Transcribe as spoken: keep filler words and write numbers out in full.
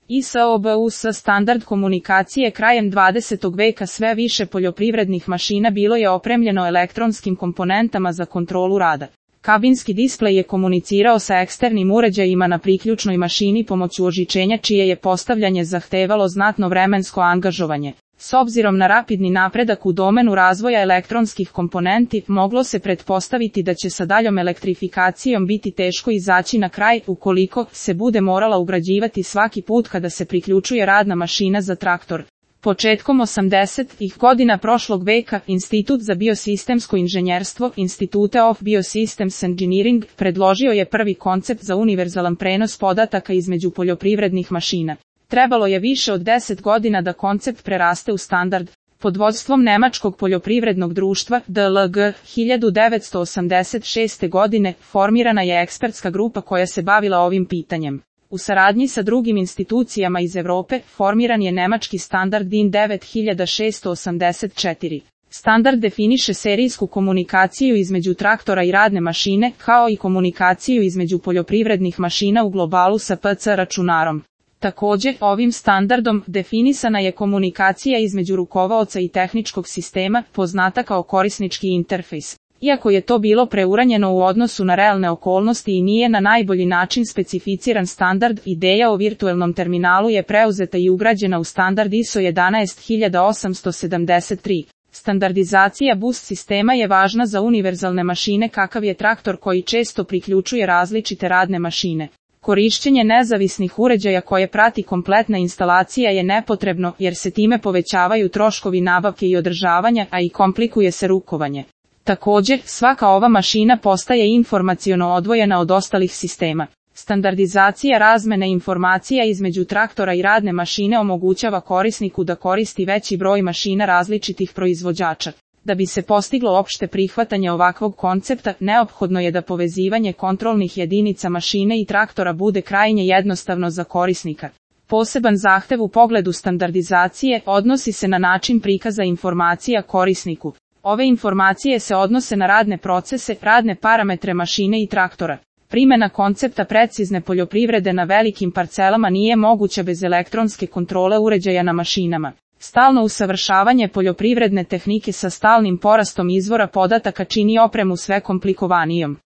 I S O B U S standard komunikacije. Krajem dvadesetog veka sve više poljoprivrednih mašina bilo je opremljeno elektronskim komponentama za kontrolu rada. Kabinski displej je komunicirao sa eksternim uređajima na priključnoj mašini pomoću ožičenja, čije je postavljanje zahtevalo znatno vremensko angažovanje. S obzirom na rapidni napredak u domenu razvoja elektronskih komponenti, moglo se pretpostaviti da će sa daljom elektrifikacijom biti teško izaći na kraj, ukoliko se bude morala ugrađivati svaki put kada se priključuje radna mašina za traktor. Početkom osamdesetih godina prošlog veka, Institut za biosistemsko inženjerstvo, Institute of Biosystems Engineering, predložio je prvi koncept za univerzalan prenos podataka između poljoprivrednih mašina. Trebalo je više od deset godina da koncept preraste u standard. Pod vodstvom Nemačkog poljoprivrednog društva D L G hiljadu devetsto osamdeset šeste. godine formirana je ekspertska grupa koja se bavila ovim pitanjem. U saradnji sa drugim institucijama iz Europe, formiran je nemački standard D I N devet hiljada šesto osamdeset četiri. Standard definiše serijsku komunikaciju između traktora i radne mašine, kao i komunikaciju između poljoprivrednih mašina u globalu sa P C računarom. Također, ovim standardom definisana je komunikacija između rukovaoca i tehničkog sistema, poznata kao korisnički interfejs. Iako je to bilo preuranjeno u odnosu na realne okolnosti i nije na najbolji način specificiran standard, ideja o virtuelnom terminalu je preuzeta i ugrađena u standard I S O jedanaest hiljada osamsto sedamdeset tri. Standardizacija bus sistema je važna za univerzalne mašine kakav je traktor koji često priključuje različite radne mašine. Korišćenje nezavisnih uređaja koje prati kompletna instalacija je nepotrebno jer se time povećavaju troškovi nabavke i održavanja, a i komplikuje se rukovanje. Također, svaka ova mašina postaje informaciono odvojena od ostalih sistema. Standardizacija razmene informacija između traktora i radne mašine omogućava korisniku da koristi veći broj mašina različitih proizvođača. Da bi se postiglo opšte prihvatanje ovakvog koncepta, neophodno je da povezivanje kontrolnih jedinica mašine i traktora bude krajnje jednostavno za korisnika. Poseban zahtev u pogledu standardizacije odnosi se na način prikaza informacija korisniku. Ove informacije se odnose na radne procese, radne parametre mašine i traktora. Primjena koncepta precizne poljoprivrede na velikim parcelama nije moguća bez elektronske kontrole uređaja na mašinama. Stalno usavršavanje poljoprivredne tehnike sa stalnim porastom izvora podataka čini opremu sve komplikovanijom.